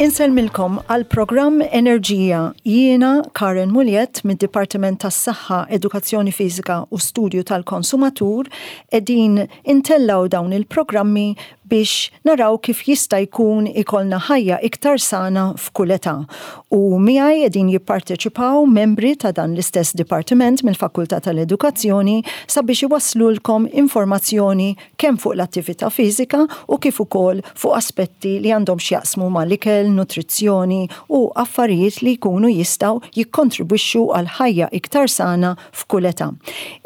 Insellmilkom għal programm Enerġija. Jiena Karen Muliet mid-Dipartiment tas-Saħħa, Edukazzjoni Fiżika u Studju tal-Konsumatur qegħdin intellaw dawn il-programmi biex naraw kif jista' jkun ikollna ħajja iktar sana f'kull età. U miegħi qegħdin jipparteċipaw membri ta' dan l-istess dipartiment mill-Fakultà tal-Edukazzjoni sabiex iwasslulkom informazzjoni kemm fuq l-attività fiżika u kif ukoll fuq aspetti li għandhom x'jaqsmu mal-ikel, nutrizzjoni u affarijiet li jkunu jistgħu jikkontribwixxu għal ħajja iktar sana f'kull età.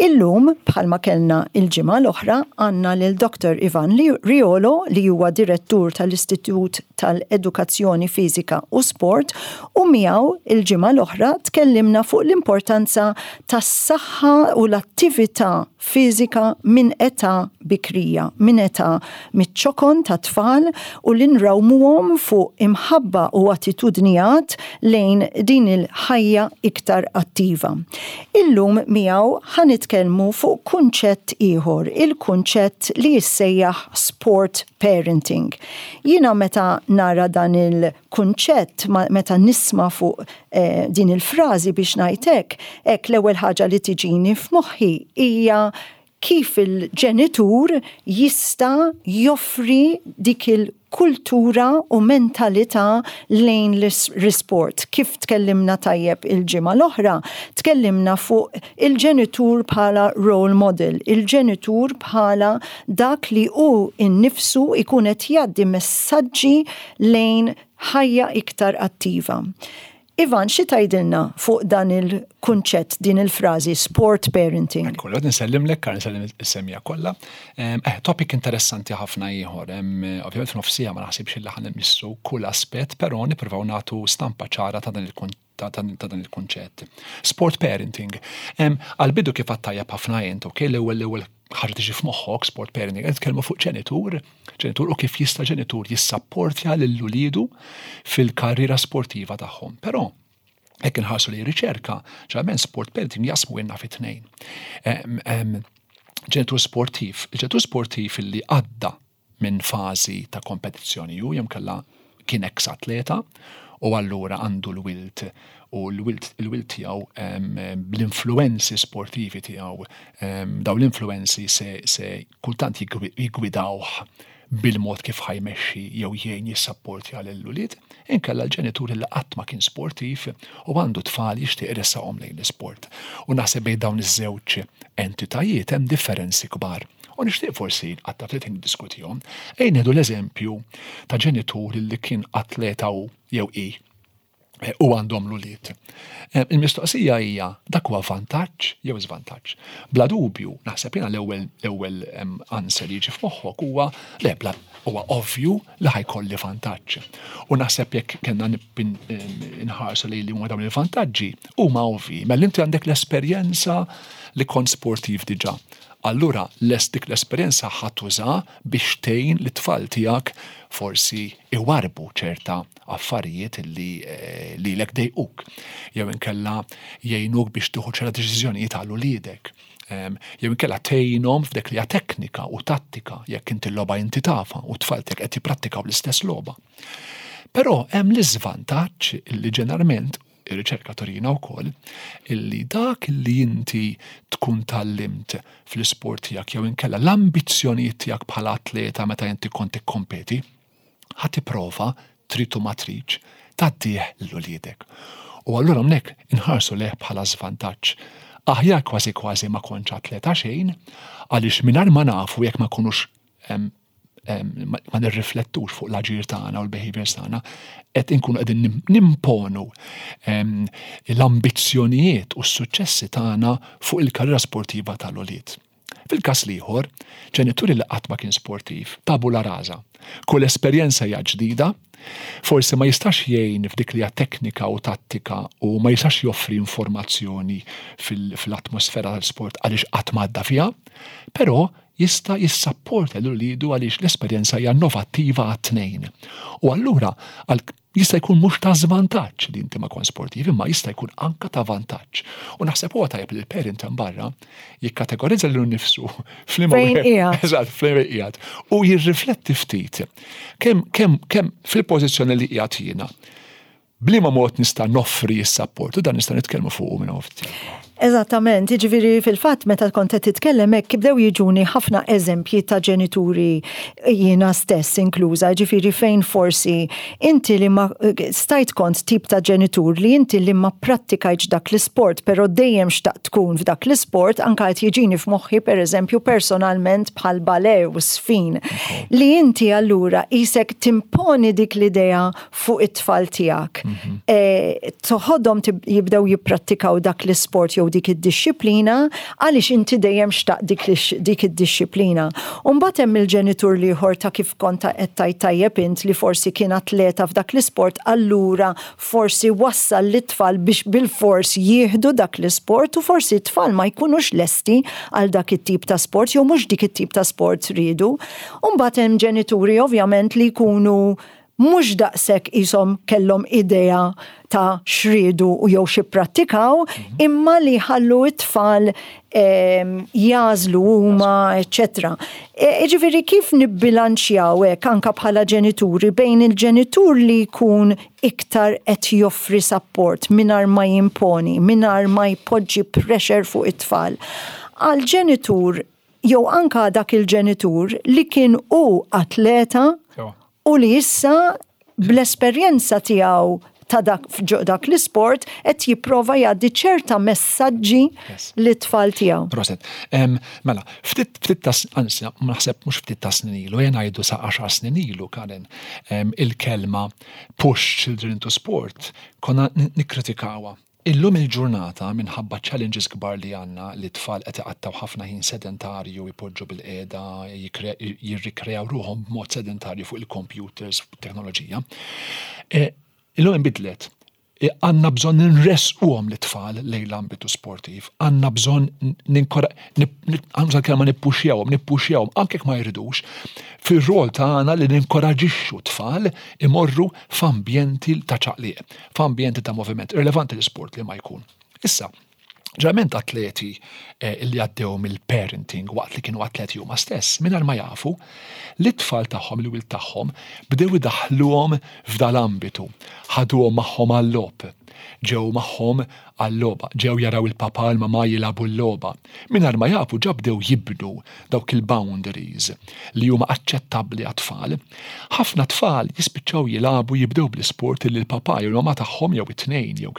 Illum, bħalma kellna l-ġimgħa l-oħra, għandna lil Dottor Ivan Riolo li huwa Direttur tal-Istitut tal-Edukazzjoni Fiżika u Sport u miegħu l-ġimgħa l-oħra tkellimna fuq l-importanza tas-saħħa u l-attività fiżika minn età bikrija, minn età miċ-ċokon tat-tfal u li nrawmuhom fuq imħabba u attitudnijat lejn din il-ħajja iktar attiva. Illum miegħu ħa nitkellmu fuq kunċett ieħor, il-kunċett li jissejjaħ sport parenting. Jiena meta nara dan il-kunċett, meta nisma' fuq din il-frażi biex ngħid hekk, hekk l-ewwel ħaġa li tiġini f'moħħi hija kif il-ġenitur jista' joffri dik il-kultura u mentalità lejn l-isport. Kif tkellimna tajjeb il-ġimgħa l-oħra, tkellimna fuq il-ġenitur bħala role model, il-ġenitur bħala dak li hu nnifsu jkun qed jgħaddi messaġġi lejn ħajja iktar attiva. Ivan, xi tgħidilna fuq dan il-kunċett, din il-frażi sport parenting? Ekku, l nsellimlek, Karen nsellim is-semija kollha. Eh, topic interessanti ħafna ieħor. Ovvjament f'nofsija ma naħsibx li ħan immissu kull aspett, però nippruvaw nagħtu stampa ċara ta' dan il ta' dan il-kunċett. Sport parenting. Għal-bidu kif għattajja ħafna jent, ok, l-ewwel l-ewwel ħaġa tiġi f'moħħok sport parenting, qed nitkellmu fuq ġenitur, ġenitur u kif jista' ġenitur jissapportja lil uliedu fil-karriera sportiva tagħhom. Però hekk inħarsu li riċerka, ġalment sport parenting jasmu jenna fit tnejn. Ġenitur sportiv, il-ġenitur sportiv li għadda minn fażi ta' kompetizzjoni hu jew kella kien eks atleta u allura għandu l-wilt u l-wilt il-wilt tiegħu bl-influenzi sportivi tiegħu dawn l-influenzi se, se kultant jiggwidawh bil-mod kif ħajmexxi jew jgħin jissapportja lil ulied, inkella l-ġenitur li qatt ma kien sportiv u għandu tfal jixtieq iressaqhom lejn l-isport. U naħseb bejn dawn iż-żewġ entitajiet hemm differenzi kbar. U nixtieq forsi nqatta' ftit ħin niddiskutihom. Ejja nieħdu l-eżempju ta' ġenitur li kien atleta hu jew hi eh, u għandhom l-ulied. Eh, il-mistoqsija hija dak huwa vantaġġ jew żvantaġġ. Bla dubju, naħseb jiena l-ewwel l-ewwel answer li jiġi f'moħħok huwa le bla huwa ovvju li ħajkolli vantaġġ. U naħseb jekk kellna nħarsu li li huma dawn il-vantaġġi huma ovvji. Mela inti għandek l-esperjenza li kont sportiv diġà. Allura lest dik l-esperjenza ħa tuża biex tgħin lit-tfal tiegħek forsi iwarrbu ċerta affarijiet li lilek dejquk. Jew inkella jgħinuk biex tieħu ċerta deċiżjonijiet għal uliedek. Jew inkella tgħinhom f'dik li hija teknika u tattika jekk inti l-logħba inti tafha u t-tfal tiegħek qed jipprattikaw l-istess logħba. Però hemm l-iżvantaġġ li ġeneralment Ir-riċerka turina wkoll illi dak li inti tkun tgħallimt fl-isport tiegħek jew inkella l-ambizzjonijiet tiegħek bħala atleta meta inti kont tikkompeti, ħa tipprova trid u ma tridx tgħaddih lil uliedek. U allura hawnhekk inħarsu lejh bħala żvantaġġ. Aħjar kważi kważi ma kontx atleta xejn għaliex mingħajr ma nafu jekk ma nkunux ma nirriflettux fuq l-aġir tagħna u l-behaviors tagħna, qed inkunu qegħdin nimponu l-ambizzjonijiet u s-suċċessi tagħna fuq il-karriera sportiva tal-ulied. Fil-każ l-ieħor, ġenituri li qatt ma kien sportiv, tabula rasa. Kull esperjenza hija ġdida, Forsi ma jistax jgħin f'dik li hija teknika u tattika u ma jistax joffri informazzjoni fil-atmosfera tal-sport għaliex qatt m'għadda fiha, però jista' jissapporta lil uliedu għaliex l-esperjenza hija innovattiva għat-tnejn. U allura jista' jkun mhux ta' żvantaġġ li inti ma kont sportiv, imma jista' jkun anka ta' vantaġġ. U naħseb huwa tajjeb li l-parent hemm barra jikkategorizza lilu nnifsu f'liema Eżatt, f'liema qiegħed. U jirrifletti ftit kemm kemm kemm fil-pożizzjoni li qiegħed jiena. B'liema mod nista' noffri s-sapport u dan nista' nitkellmu fuqu minn hawn ftit. Eżattament, jiġifieri fil-fatt meta kont qed titkellem hekk bdew jiġuni ħafna eżempji ta' ġenituri jiena stess inkluża, jiġifieri fejn forsi inti li ma stajt kont tip ta' ġenitur li inti li ma pprattikajtx dak l-isport però dejjem xtaqt tkun f'dak l-isport, anke qed jiġini f'moħħi pereżempju personalment bħal ballet u żfin, li inti allura qisek timponi dik l-idea fuq it-tfal tiegħek. Mhm. E, toħodhom jibdew jipprattikaw dak l-isport jew dik id-dixxiplina għaliex inti dejjem xtaq dik id-dixxiplina. Umbagħad hemm il-ġenitur l-ieħor ta' kif kont qed tgħid tajjeb int li forsi kien atleta f'dak l-isport allura forsi wassal lit-tfal biex bilfors jieħdu dak l-isport u forsi t-tfal ma jkunux lesti għal dak it-tip ta' sport jew mhux dik it-tip ta' sport riedu. Umbagħad hemm ġenituri ovvjament li jkunu mhux daqshekk qishom kellhom idea ta' x'riedu u jew x'ipprattikaw, imma li jħallu t-tfal ehm, jagħżlu huma, eċċetera. E, jiġifieri kif nibbilanċjaw hekk anke bħala ġenituri bejn il-ġenitur li jkun iktar qed joffri sapport mingħajr ma jimponi, mingħajr ma jpoġġi pressure fuq it-tfal. Għal ġenitur jew anka dak il-ġenitur li kien hu atleta u li issa bl-esperjenza tiegħu ta' dak dak l-isport qed jipprova jgħaddi ċerta messaġġi lit-tfal tiegħu. Proset. Mela, ftit ftit ta' anzi, naħseb mhux ftit ta' snin ilu, jien ngħidu sa' 10 snin ilu Karen, il-kelma push children into sport konna nikkritikawha. Illum il-ġurnata, minħabba ċ-challenges kbar li għandna li t-tfal qed iqattgħu ħafna ħin sedentarju, jpoġġu bilqiegħda, jirrikreaw ruħhom b'mod sedentarju fuq il-computers, fuq it-teknoloġija, illum inbidlet. Għandna bżonn inressquhom lit-tfal lejn l-ambitu sportiv, għandna bżonn ninkora, għandna kelma nippuxjawhom, nippuxjawhom anke jekk ma jridux, fir-rol tagħna li ninkoraġixxu t-tfal imorru f'ambjenti ta' ċaqliq. f'ambjenti ta' moviment, irrelevanti l-isport li ma jkun. Issa, ġeneralment atleti eh, li għaddew mill-parenting waqt li kienu atleti huma stess, mingħajr ma jafu, li t-tfal tagħhom, il-wild tagħhom, bdew idaħħluhom f'dal-ambitu, ħaduhom magħhom għal-logħob, ġew magħhom għal-logħba, ġew jaraw il-papà l-mamà jilagħbu l-logħba. Mingħajr ma jafu ġa bdew jibnu dawk il-boundaries li huma aċċettabbli għat-tfal. Ħafna tfal jispiċċaw jilagħbu jibdew bl-isport li l-papà jew l-mamà tagħhom jew it-tnejn jew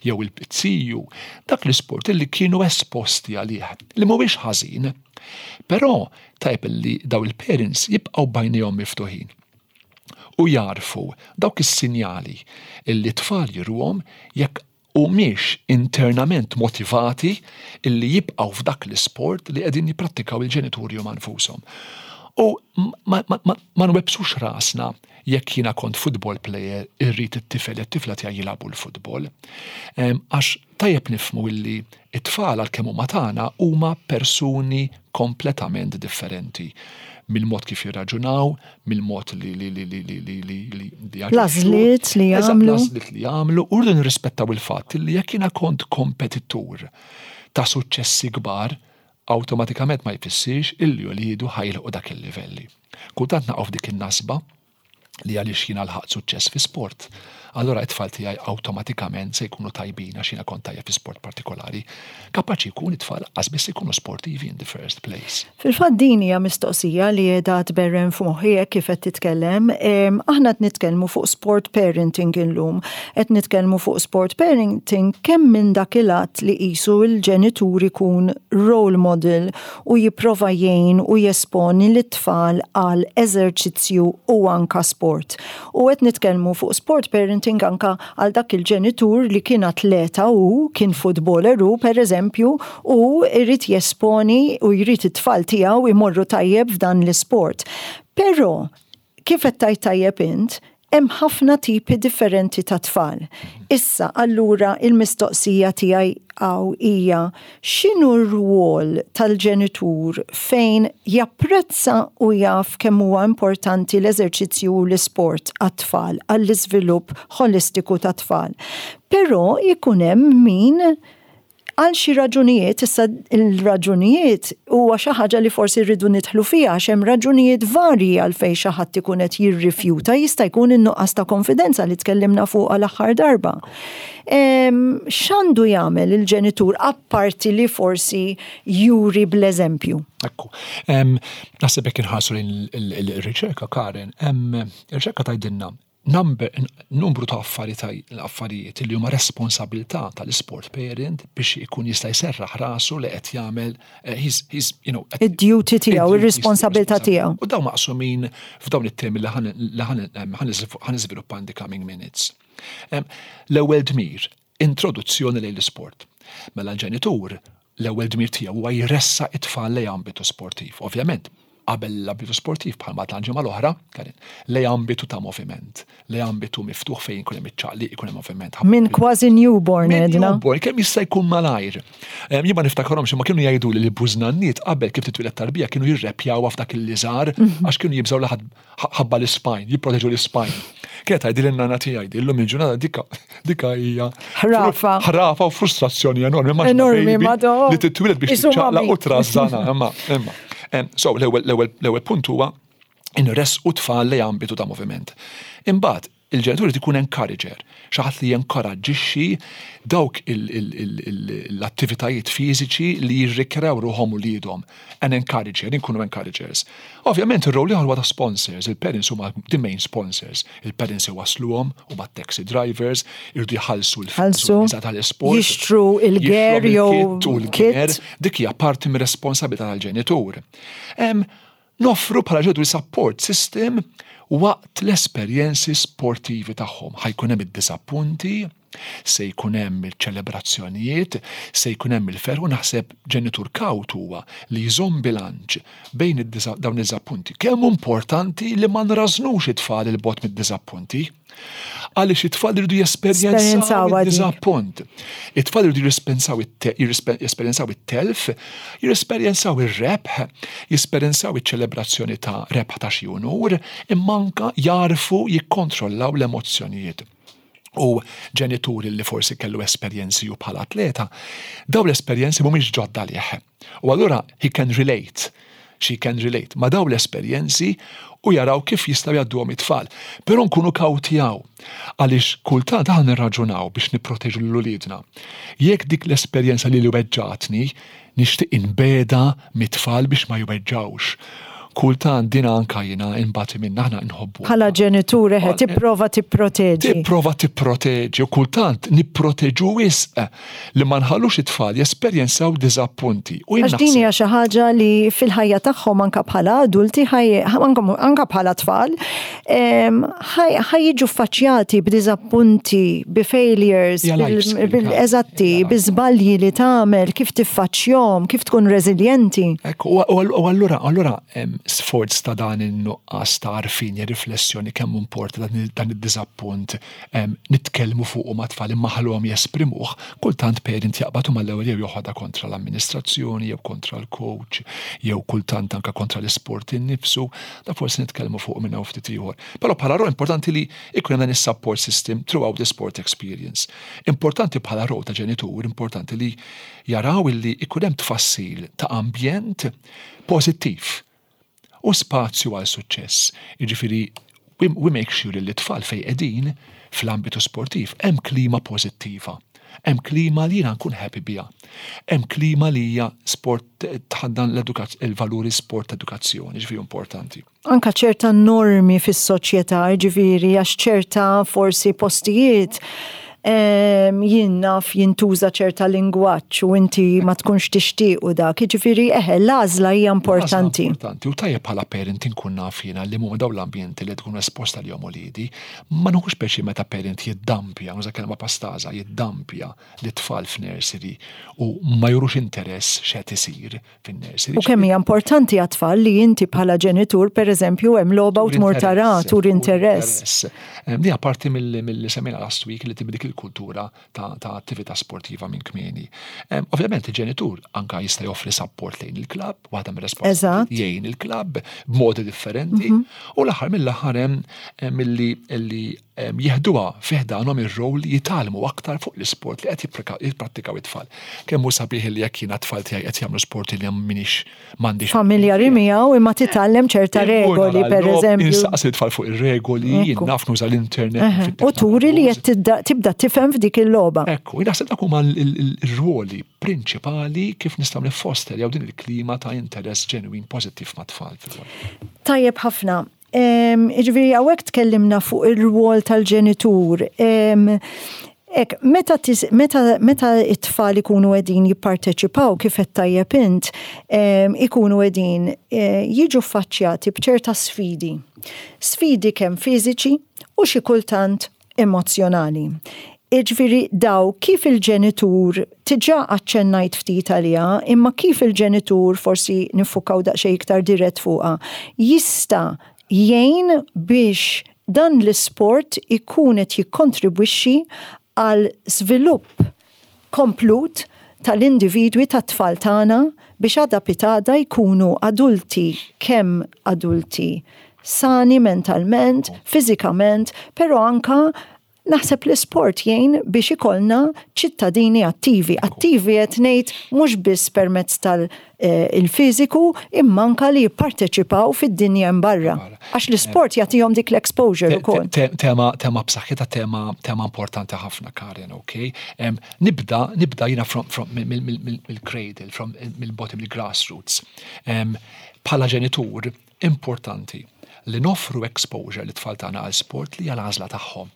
jew il-ziju, dak l-isport li kienu esposti għalih, li mhuwiex ħażin. Però tajjeb li daw il-parents jibqgħu b'għajnejhom miftuħin u jagħrfu dawk is-sinjali li t-tfal juruhom jekk humiex internament motivati illi jibqgħu f'dak l-isport li qegħdin jipprattikaw il-ġenituri huma nfushom. U ma, ma, ma, ma nwebbsux rasna jekk jiena kont football player irrid it-tifel it-tifla tiegħi jilagħbu l-futbol. Għax tajjeb nifhmu illi It-tfal għalkemm huma tagħna huma persuni kompletament differenti mill-mod kif jirraġunaw, mill-mod li li li li li li li li li L-għażliet li jagħmlu. L-għażliet li jagħmlu u rridu nirrispettaw il-fatt li jekk jiena kont kompetitur ta' suċċessi kbar, awtomatikament ma jfissirx illi uliedu ħa jilħqu dak il-livelli. Kultant naqgħu f'dik in-nasba li għaliex jiena lħaqt suċċess fi sport, allura it-tfal tiegħi awtomatikament se jkunu tajbin għax jiena kont tajjeb fi sport partikolari. Kapaċi jkun it-tfal qas biss ikunu sportivi in the first place. Fil-fatt din hija mistoqsija li qiegħda tberren f'moħħi hekk kif qed titkellem. Aħna qed nitkellmu fuq sport parenting illum. Qed nitkellmu fuq sport parenting kemm minn dak il-att li qisu l-ġenitur ikun role model u jipprova jgħin u jesponi lit-tfal għal eżerċizzju u anka sport. U qed nitkellmu fuq sport parenting anka għal dak il-ġenitur li kien atleta hu, kien footballer hu pereżempju, u jrid jesponi u jrid it-tfal tiegħu jmorru tajjeb f'dan l-isport. Però, kif qed tgħid tajjeb int, Hemm ħafna tipi differenti ta' tfal. Issa, allura il-mistoqsija tiegħi hawn hija x'inhu r-rwol tal-ġenitur fejn japprezza u jaf kemm huwa importanti l-eżerċizzju u l-isport għat-tfal, għall-iżvilupp ħolistiku tat-tfal. Però jkun hemm min Għal xi raġunijiet, issa l-raġunijiet huwa xi ħaġa li forsi rridu nidħlu fiha għax hemm raġunijiet varji għalfejn xi ħadd ikun qed jirrifjuta, jista' jkun in-nuqqas ta' konfidenza li tkellimna fuqha l-aħħar darba. X'għandu jagħmel il-ġenitur apparti li forsi juri bl-eżempju? Ekku. Naħseb jekk inħarsu lejn il-riċerka, Karen, ir-riċerka tgħidilna Number, numru ta' affarijiet li huma responsabilità tal-isport parent biex ikun jista' jserraħ rasu li qed jagħmel eh, he's, he's, you know, id-duty tiegħu, ir-responsabilità tiegħu. U dawn maqsumin f'dawn it-temi li ħan iżviluppa in the coming minutes. L-ewwel dmir, introduzzjoni lejn l-isport. Mela l-ġenitur l-ewwel dmir tiegħu huwa jressaq it-tfal lejn ambitu sportiv. Ovvjament, qabel l-ambitu sportiv bħalma għedna l-ġimgħa l-oħra, Karin, lejn ambitu ta' moviment, lejn ambitu miftuħ fejn ikun hemm iċ-ċaqliq, ikun hemm moviment. Minn kważi newborn Minn għedna. newborn, kemm jista' jkun malajr. Jien ma niftakarhomx imma kienu jgħiduli li l-bużnanniet qabel kif titwieled tarbija kienu jirrepjawha f'dak il-liżar għax kienu jibżgħu li ħadd ħabba l-ispine, jipproteġu l-ispine. Kienet tgħidli n-nana tiegħi, illum il-ġurnata dika dika hija ħrafa. Ħrafa u frustrazzjoni enormi. Enormi, madò. Li titwieled biex tiċċaqlaq u trażżana, imma imma. So l-ewwel punt huwa inressqu tfal li ambitu ta' moviment. Imbagħad Il-ġenitur irid ikun encourager, xi ħadd li jenkoraġġixxi dawk l-attivitajiet fiżiċi li jirrikrew ruħhom uliedhom. An encourager, inkunu encouragers. Ovvjament ir-role ieħor huwa ta' sponsors, il-parents huma the main sponsors. Il-parents iwassluhom, huma t-taxi drivers, iridu jħallsu l-fiża tal-isport. Jixtru il-gear jew il-kit. Dik hija parti mir-responsabilità tal-ġenitur. Noffru bħala ġenituri support system waqt l-esperjenzi sportivi tagħhom. Ħa jkun hemm id-diżappunti, se jkun hemm iċ-ċelebrazzjonijiet, se jkun hemm il-ferħ u naħseb ġenitur kawt huwa li jżomm bilanċ bejn dawn id-diżappunti. Kemm hu importanti li ma nrażżnux it-tfal 'il bogħod mid-diżappunti. Għaliex it-tfal iridu jesperjenzaw id-diżappunt. It-tfal iridu jesperjenzaw it-telf, jesperjenzaw ir-rebħ, jesperjenzaw iċ-ċelebrazzjoni ta' rebħ ta' xi unur, imma anka jagħrfu jikkontrollaw l-emozzjonijiet. U ġenituri li forsi kellu esperjenzi u bħala atleta, daw l-esperjenzi mhumiex ġodda għalih. U allura he can relate, she can relate ma' dawn l-esperjenzi u jaraw kif jistgħu jgħadduhom it-tfal. Però nkunu kawti hawn, għaliex kultant aħna nirraġunaw biex nipproteġu lil uliedna. Jekk dik l-esperjenza lili weġġgħatni, nixtieq inbegħedha mit-tfal biex ma jweġġgħux. Kultant din anka jiena inbati minnha, aħna nħobbu. Bħala ġenitur eħe tipprova tipproteġi. Tipprova tipproteġi u kultant nipproteġu wisq li ma nħallux it-tfal jesperjenzaw diżappunti. U jien Għax din hija xi ħaġa li fil-ħajja tagħhom anke bħala adulti anke bħala tfal ħa jiġu ffaċċjati b'diżappunti, bi failures, eżatti, bi żbalji li tagħmel, kif tiffaċċjahom, kif tkun reżiljenti. Ekku, u allura allura sforz ta' dan in-nuqqas ta' għarfien riflessjoni kemm importa dan id-diżappunt nitkellmu fuqu mat-tfal imma ħalluhom jesprimuh, kultant parent jaqbad u mal-ewwel jew joħodha kontra l-amministrazzjoni jew kontra l-coach jew kultant anke kontra l-isport innifsu, da forsi nitkellmu fuqu minn hawn ftit ieħor. Però bħala role importanti li jkun hemm dan is-support system throughout the sport experience. Importanti bħala role ta' ġenitur, importanti li jaraw illi jkun hemm tfassil ta' ambjent pożittiv u spazju għal suċċess. Jiġifieri we, we make sure li t-tfal fejn qegħdin fl-ambitu sportiv hemm klima pożittiva. Hemm klima li jiena nkun happy biha. Hemm klima li hija sport tħaddan il-valuri sport edukazzjoni, ġifieri importanti. Anka ċerta normi fis-soċjetà, ġifieri għax ċerta forsi postijiet. Jien naf jintuża ċerta lingwaġġ u inti ma tkunx tixtieq u dak. Jiġifieri eħe l-għażla hija importanti. Importanti u tajjeb bħala parent inkun naf jiena li huma dawn l-ambjenti li tkun esposta lihom uliedi. Ma nħux pjaċir meta parent jiddampja, nuża kelma pastaża, jiddampja lit-tfal f'nursery u ma jurux interess x'qed isir fin-nursery. U kemm hija importanti għat-tfal li inti bħala ġenitur pereżempju hemm logħba u tmur tara, turi interess. Di parti mill-li semmejna last week li tibdi dik il-kultura ta' attività sportiva minn kmieni. Ovvjament il-ġenitur anka jista' joffri support lejn il-klabb, waħda mir-responsabilità jgħin il-klabb b'modi differenti u l-aħħar mill-aħħar hemm milli jieħduha fi ħdanhom ir-role li jitgħallmu aktar fuq l-isport li qed jipprattikaw it-tfal. Kemm hu sabiħ li jekk jiena t-tfal tiegħi qed jagħmlu sport li m'iniex m'għandix. Familjari miegħu imma titgħallem ċerta regoli pereżempju. Insaqsi t-tfal fuq ir-regoli, jien naf nuża l-internet. U turi li qed tibda tifhem f'dik il-logħba. Ekku, naħseb dak huma l-rwoli prinċipali kif nistgħu niffosterjaw din il-klima ta' interess ġenwin pożittiv mat-tfal. Tajjeb ħafna. Jiġifieri hawnhekk tkellimna fuq ir-rwol tal-ġenitur. Ek, meta, meta, meta it-tfal ikunu qegħdin jipparteċipaw kif qed tajjeb int, ikunu qegħdin eh, jiġu ffaċċjati b'ċerta sfidi. Sfidi kemm fiżiċi u xi kultant emozzjonali. Jiġifieri daw kif il-ġenitur, diġà aċċennajt ftit għaliha, imma kif il-ġenitur, forsi niffukaw daqsxejn iktar dirett fuqha, jista' jgħin biex dan l-isport ikun qed jikkontribwixxi għal żvilupp komplut tal-individwi tat-tfal tagħna biex għada pitgħada jkunu adulti kemm adulti sani mentalment, fiżikament, però anka naħseb l-isport jgħin biex ikollna ċittadini attivi. Attivi qed ngħid mhux biss permezz tal-fiżiku imma anka li jipparteċipaw fid-dinja hemm barra. Għax l-isport jagħtihom dik l-exposure ukoll. Tema tema b'saħħitha tema tema importanti ħafna Karen, ok? Nibda nibda jiena from from mill-cradle, from mill-bottom mill-grassroots. Bħala ġenitur importanti li noffru exposure lit-tfal tagħna għal sport li hija l-għażla tagħhom.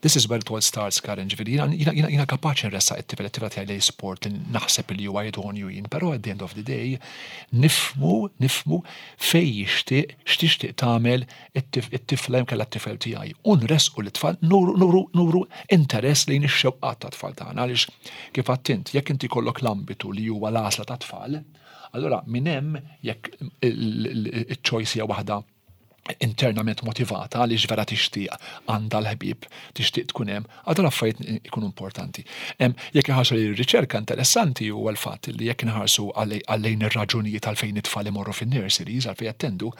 This is where it all starts, Karen, ġifieri jiena jiena jiena jiena kapaċi nressaq it-tifel it-tifla tiegħi lejn sport li naħseb li huwa idonju jien, però at the end of the day nifhmu nifhmu fejn jixtieq x'tixtieq tagħmel it-tifla jew inkella t-tifel tiegħi u nressqu lit-tfal nuru nuru nuru interess lejn ix-xewqat tat-tfal tagħna għaliex kif għedt int jekk inti jkollok l-ambitu li huwa l-għażla tat-tfal, Allura minn hemm jekk iċ-choice hija waħda internament motivata għaliex vera tixtieq għandha l-ħbieb, tixtieq tkun hemm, għal dawn l-affarijiet ikunu importanti. Jekk inħarsu lejn ir-riċerka interessanti huwa l-fatt li jekk inħarsu għal lejn ir-raġunijiet għalfejn it-tfal imorru fin-nurseries għalfejn jattendu,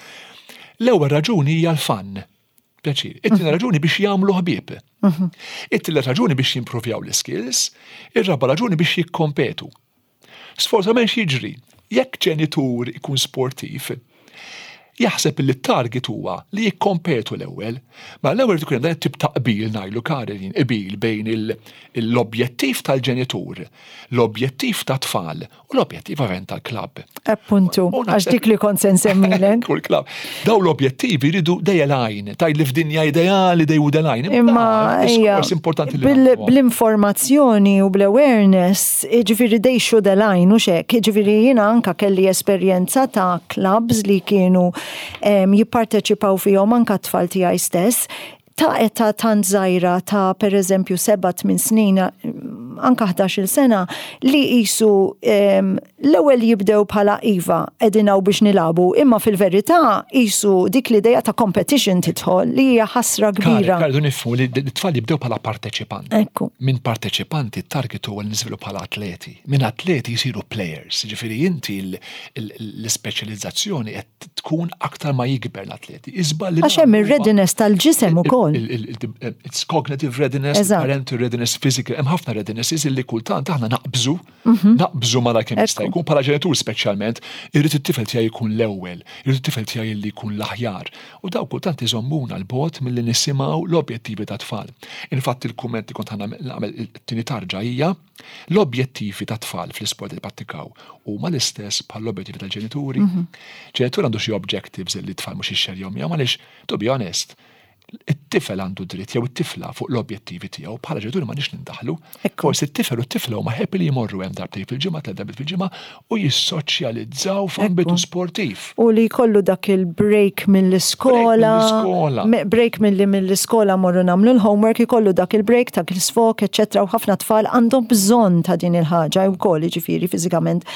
l-ewwel raġuni hija l-fun. Pjaċir. It-tieni raġuni biex jagħmlu ħbieb. It-tielet raġuni biex jimprovjaw l-skills, ir-raba' raġuni biex jikkompetu. Sfortunatament x'jiġri? Jekk ġenitur ikun sportiv, jaħseb li t-target huwa li jikkompetu l-ewwel. Ma l-ewwel ikun hemm dan it-tip ta' qbil ngħidlu Karin, qbil bejn l-objettiv tal-ġenitur, l-objettiv tat-tfal u l-objettiv ovvjament tal-klabb. Appuntu, għax dik li kont se nsemmilek. Kull klabb. Daw l-objettivi jridu they align, tgħid li f'dinja ideali they would align. Imma hija importanti li bl-informazzjoni u bl-awareness, ġifieri they should align u xek, ġifieri jiena anka kelli esperjenza ta' clubs li kienu jipparteċipaw fihom anka t-tfal tiegħi stess ta' età tant żgħira ta' pereżempju 7-8 snin, anka 11-il sena, li qisu l-ewwel jibdew bħala iva qegħdin hawn biex nilagħbu, imma fil-verità qisu dik l-idea ta' competition tidħol li hija ħasra kbira. Kara, rridu nifhmu li t-tfal jibdew bħala parteċipanti. Ekku. Minn parteċipanti t-target huwa li niżvilu bħala atleti. Minn atleti jsiru players, jiġifieri inti l-ispeċjalizzazzjoni qed tkun aktar ma jikber l-atleti. Iżball li Għax hemm ir-readiness tal-ġisem ukoll. It's cognitive readiness, parental readiness, physical, hemm ħafna readinesses illi kultant aħna naqbżu, mhm. naqbżu mara kemm jista' jkun bħala ġenitur speċjalment, irrid it-tifel tiegħi jkun l-ewwel, irrid it-tifel tiegħi li jkun l-aħjar. U daw kultant iżommuna l-bot milli nisimgħu l-objettivi ta' tfal. Infatti il-kumment li kont nagħmel it-tieni tarġa hija L-objettivi tat-tfal fl-isport li jipprattikaw huma l-istess bħall-objettivi tal-ġenituri. Mhm. Ġenitur għandu xi objectives li t-tfal mhux jixxerjhom miegħu għaliex, to be honest, It-tifel għandu dritt jew it-tifla fuq l-objettivi tiegħu bħala ġenituri m'għandniex nindaħlu. Forsi t-tifel u t-tifla huma happy li jmorru hemm darbtejn fil-ġimgħa, tliet darbiet fil-ġimgħa u jissoċjalizzaw f'ambitu sportiv. U li jkollu dak il-break mill-iskola. Break milli mill-iskola morru nagħmlu l-homework, ikollu dak il-break, dak il-sfok, eċċetera, u ħafna tfal għandhom bżonn ta' din il-ħaġa wkoll jiġifieri fiżikament.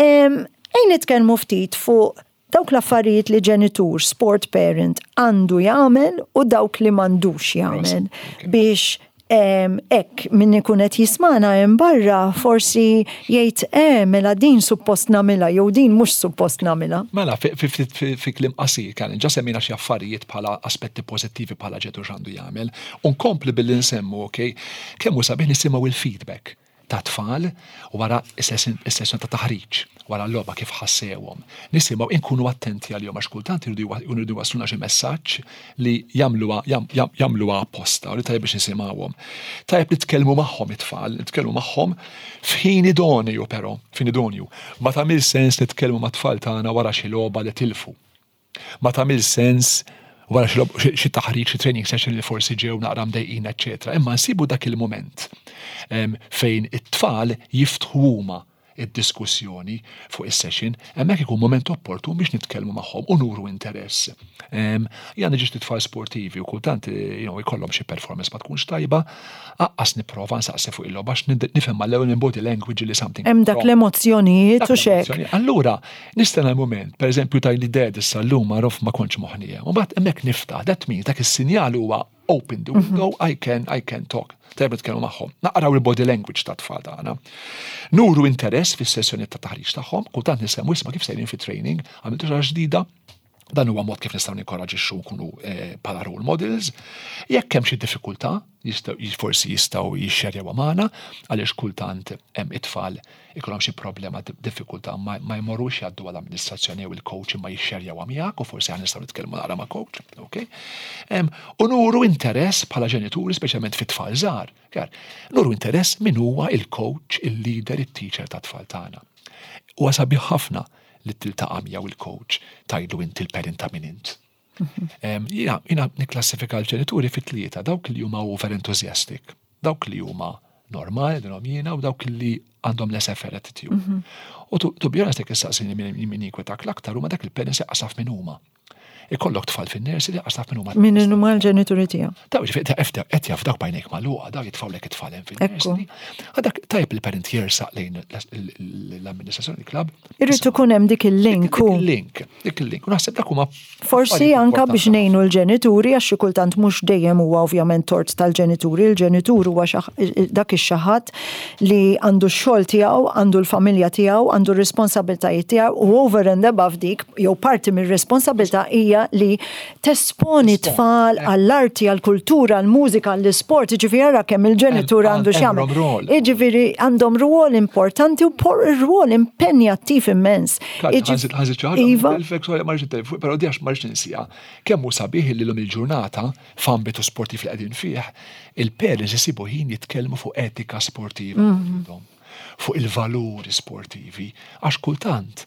Ejn nitkellmu ftit fuq Dawk l-affarijiet li ġenitur, sport parent, għandu jagħmel u dawk li m'għandux jagħmel biex hekk min ikun qed jismana hemm barra forsi jgħid eh mela din suppost nagħmilha jew din mhux suppost nagħmilha. Mela fi kliem qasir Karen, ġa semmejna xi affarijiet bħala aspetti pożittivi bħala ġenitur x'għandu jagħmel. U nkompli billi nsemmu, okay, kemm hu sabiħ nisimgħu il-feedback ta' tfal wara s-sessjoni ta' taħriġ, wara l-logħba kif ħassewhom. Nisimgħu inkunu attenti għalihom għax kultant iridu jridu jwasslulna xi messaġġ li jagħmluha jagħmluha apposta u li tajjeb biex nisimgħuhom. Tajjeb nitkellmu magħhom it-tfal, nitkellmu magħhom f'ħin idonju però, f'ħin idonju. Ma tagħmilx sens nitkellmu mat-tfal tagħna wara xi logħba li tilfu. Ma tagħmilx sens wara xi taħriġ, xi training session li forsi ġew naqra mdejqin, eċċetera. Imma nsibu dak il-mument fejn it-tfal jiftħu huma id-diskussjoni fuq is-session, hemmhekk ikun moment opportun biex nitkellmu magħhom u nuru interess. Jien għandi ġiet tfal sportivi u kultant eh, you know, ikollhom xi performance ma tkunx tajba, aqqas nipprova nsaqsi fuq il-logħba għax nifhem mal-ewwel minn body language li something. Hemm dak l-emozzjonijiet u xek. Allura, Nistenna l-mument, per eżempju tgħidli dad issa llum għarof ma kontx moħħni hemm. U mbagħad hemmhekk niftaħ, that means dak is-sinjal huwa open the window, mhm. I can, I can talk. Tajjeb nitkellmu magħhom. Naqraw il-body language ta' tfal tagħna. Nuru interess fis-sessjoni ta' taħriġ tagħhom, kultant nisemmu isma' kif sejrin fit-training, għamiltu xi ġdida, dan huwa mod kif nistgħu ninkoraġixxu nkunu eh, bħala role models. Jekk hemm xi diffikultà, forsi jistgħu jixxerjaw magħna għaliex kultant hemm it-tfal ikollhom xi problema diffikultà ma jmorrux jgħaddu għal amministrazzjoni jew il-coach imma jixxerjawha miegħek u forsi aħna nistgħu nitkellmu naqra ma' coach, ok? U nuru interess bħala ġenituri speċjalment fit-tfal żgħar. Nuru interess min huwa il-coach, il-leader, it-teacher tat-tfal tagħna. Huwa sabiħ ħafna li tiltaqa' miegħu il-coach tgħidlu inti l-parent ta' min int. Jiena jiena nikklassifika l-ġenituri fi tlieta, dawk li huma over enthusiastic, dawk li huma normali dinhom jiena u dawk li għandhom laissez-faire attitude. Mhm. U to be honest jekk issaqsini min jinkwetak l-aktar huma dak il-parents jaqsaf min huma. Ikollok tfal fin-nursery li taf min huma. Min huma l-ġenituri tiegħu. Daw ġifieri qed jaf dawk bajnejk magħluqa, daw jitfgħulek it-tfal hemm fin-nursery. Għadak tajjeb il-parent jersaq lejn l-amministrazzjoni il-klabb. Irrid ikun hemm dik il-link. Dik il-link, dik il-link. U naħseb dak huma Forsi anka biex ngħinu l-ġenituri għax xi kultant mhux dejjem huwa ovvjament tort tal-ġenituri, il-ġenitur huwa dak ix-xi ħadd li għandu x-xogħol tiegħu, għandu l-familja tiegħu, għandu r-responsabbiltajiet tiegħu u over and above dik jew parti mir-responsabbiltà hija li tesponi t-tfal għall-arti, għall-kultura, għall-mużika, għall-isport, jiġifieri ara kemm il-ġenitur għandu x'jagħmel. Jiġifieri għandhom rwol importanti u rwol impenjattiv immens. Ħażit xi ħaġa. Iva. Però di għax ma rridx ninsieha. Kemm hu sabiħ li llum il-ġurnata f'ambitu sportiv li qegħdin fih, il-parents isibu ħin jitkellmu fuq etika sportiva mhm. fuq il-valuri sportivi, għax kultant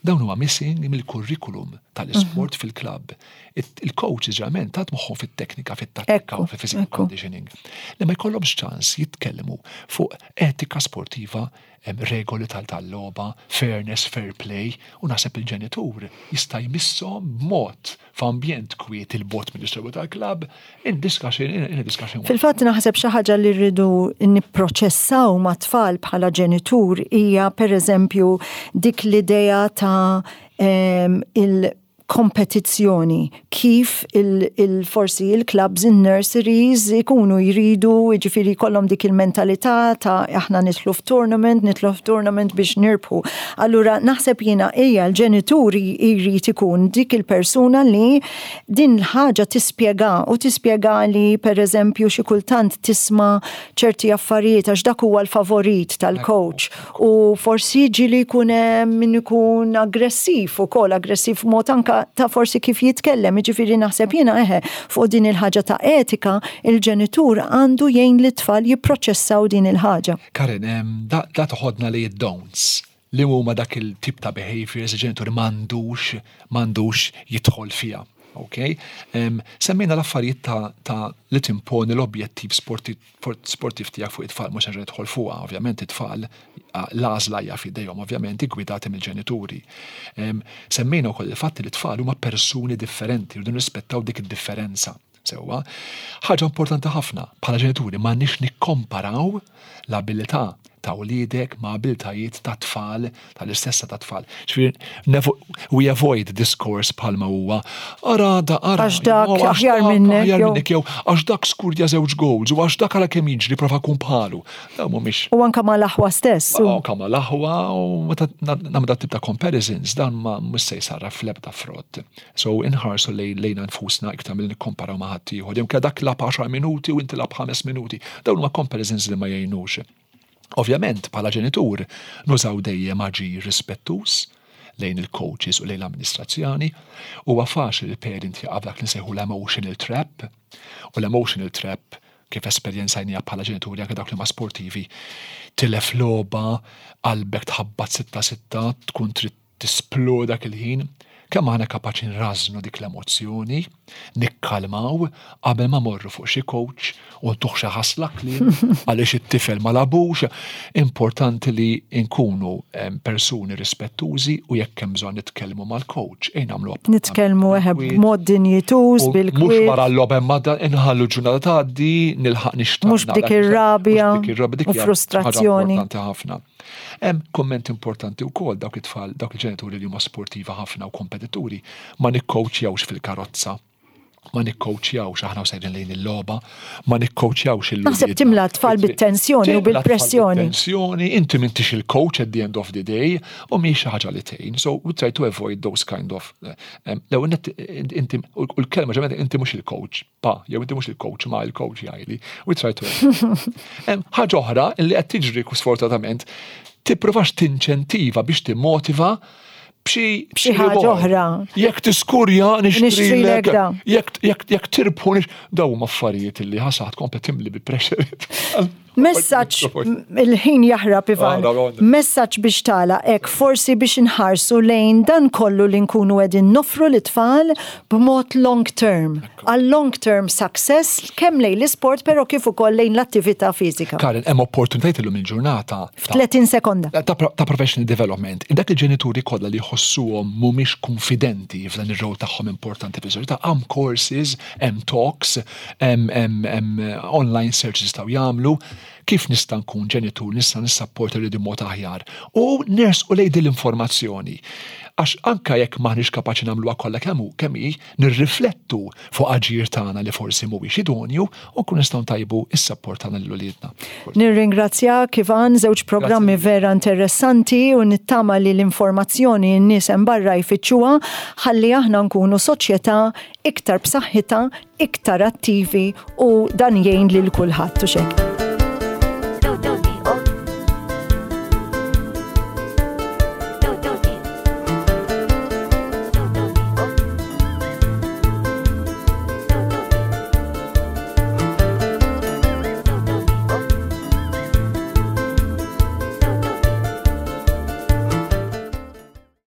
dawn huwa missing mill-kurrikulum tal-isport mhm. fil-klabb. Il-coaches ġeneralment tat moħħhom fit-teknika, fit-tattika, fil-physical conditioning. Li ma jkollhomx ċans jitkellmu fuq etika sportiva Hemm regoli tal-logħba, fairness, fair play, u naħseb il-ġenitur jista' jmisshom b'mod f'ambjent kwiet 'il bogħod mill-istorbju tal-klabb, in discussion, in a discussion. Fil-fatt naħseb xi ħaġa li rridu nipproċessaw mat-tfal bħala ġenitur hija pereżempju dik l-idea ta' il kompetizzjoni kif il forsi il-clubs, in-nurseries ikunu jridu, jiġifieri jkollhom dik il-mentalità ta' aħna nidħlu f'tournament, nidħlu f'tournament biex nirbħu. Allura naħseb jiena hija l-ġenitur jrid ikun dik il-persuna li din l-ħaġa tispjega u tispjega li pereżempju xi kultant tisma' ċerti affarijiet għax dak huwa l-favorit tal-coach U forsi ġieli jkun hemm min ikun aggressiv ukoll, aggressiv mod anka ta' forsi kif jitkellem, jiġifieri naħseb jiena eħe fuq din il-ħaġa ta' etika, il-ġenitur għandu jgħin lit-tfal jipproċessaw din il-ħaġa. Karen, da toħodna li id-don'ts li huma dak il-tip ta' behaviors il-ġenitur m'għandux m'għandux jidħol fiha. Ok? Semmejna l-affarijiet ta', ta li timponi l-objettiv sportiv tiegħek fuq it-tfal mhux nerġa' nidħol fuqha, ovvjament it-tfal l-għażla hija f'idejhom, ovvjament iggwidati mill-ġenituri. Semmejna wkoll il-fatt li t-tfal huma persuni differenti, rridu nirrispettaw dik id-differenza. Sewwa, ħaġa importanti ħafna, bħala ġenituri m'għandniex nikkomparaw l-abilità ta' wliedek ma' abiltajiet ta' tfal tal-istessa ta' tfal. Ġifieri we avoid discourse bħalma huwa ara da ara. Għax dak aħjar minnek. Aħjar minnek jew għax dak skurja żewġ goals u għax dak ara kemm jiġri prova kun bħalu. Dawn mhumiex. U anka mal-aħwa stess. U anka mal-aħwa u meta nagħmlu dat tip ta' comparisons dan ma mhux se jsarraf fl-ebda frott. So inħarsu lejna nfusna iktar milli nikkomparaw ma' ħaddieħor. Jew dak lab 10 minuti u inti lab 5 minuti. Dawn huma comparisons li ma jgħinux. Ovvjament, bħala ġenitur, nużaw dejjem aġir rispettuż lejn il-coaches u lejn l-amministrazzjoni. Huwa faċli li parent jaqa' f'dak li nsejħu l-emotional trap. U l-emotional trap kif esperjenzajniha bħala ġenituri anke dawk li ma sportivi, tilef logħba, qalbek tħabbat sitta sitta, tkun trid tisplodi dak il-ħin, kemm aħna kapaċi nrażżnu dik l-emozzjoni, nikkalmaw qabel ma morru fuq xi coach u ntuh xi ħasla kliem għaliex it-tifel ma labux. Importanti li nkunu persuni rispettużi u jekk hemm bżonn nitkellmu mal-coach, ejja nagħmlu Nitkellmu eħe b'mod dinjituż bil-kwiet. Mhux wara l-logħba imma inħallu ġurnata tgħaddi, nilħaq nixtaq. Mhux b'dik ir-rabja u frustrazzjoni. Importanti ħafna. Hemm kumment importanti wkoll dawk it-tfal, dawk il-ġenituri li huma sportiva ħafna u kompetituri, ma nikkowċjawx fil-karozza, ma nikkowċjawx aħna u sejrin lejn il-logħba, ma nikkowċjawx il Naħseb timla t-tfal bit-tensjoni u bil-pressjoni. Tensjoni, inti m'intix il-coach at the end of the day u mhix xi ħaġa li tgħin. So we try to avoid those kind of eh, l-ewwel inti u l-kelma ġemmet inti mhux il-coach. Pa, jew inti mhux il-coach, ma il-coach jgħidli. We try to. Ħaġa oħra li qed tiġri sfortunatament, tippruvax tinċentiva biex timmotiva b'xi b'xi ħaġa oħra. Jekk tiskurja nixtrilek. Jekk jekk tirbħu daw huma affarijiet li ħasat komplet timli bi pressure. Messaġġ il-ħin jaħrab Ivan. Messaġġ biex tagħlaq hekk forsi biex inħarsu lejn dan kollu li nkunu qegħdin noffru lit-tfal b'mod long term. Għal long term success kemm lejn l-isport però kif ukoll lejn l-attività fiżika. Karin, hemm opportunitajiet illum il-ġurnata. F'30 sekonda. Ta' professional development. Dak il-ġenituri kollha li jħossuhom mhumiex kunfidenti f'dan ir-rol tagħhom importanti fis-soċjetà, hemm courses, hemm talks, hemm online search jistgħu jagħmlu, kif nista' nkun ġenitur, nista' nissapporta li mod aħjar. U nersqu lejn din l-informazzjoni. Għax anka jekk maħniex kapaċi nagħmluha kollha kemm hu kemm hi, nirriflettu fuq aġir tagħna li forsi mhuwiex idonju u nkun nistgħu ntajbu s-sapport tagħna lil uliedna. Nirringrazzjak Ivan, żewġ programmi vera interessanti u nittama li l-informazzjoni n-nies hemm barra jfittxuha ħalli aħna nkunu soċjetà iktar b'saħħitha, iktar attivi u dan jgħin lil kulħadd u xejn.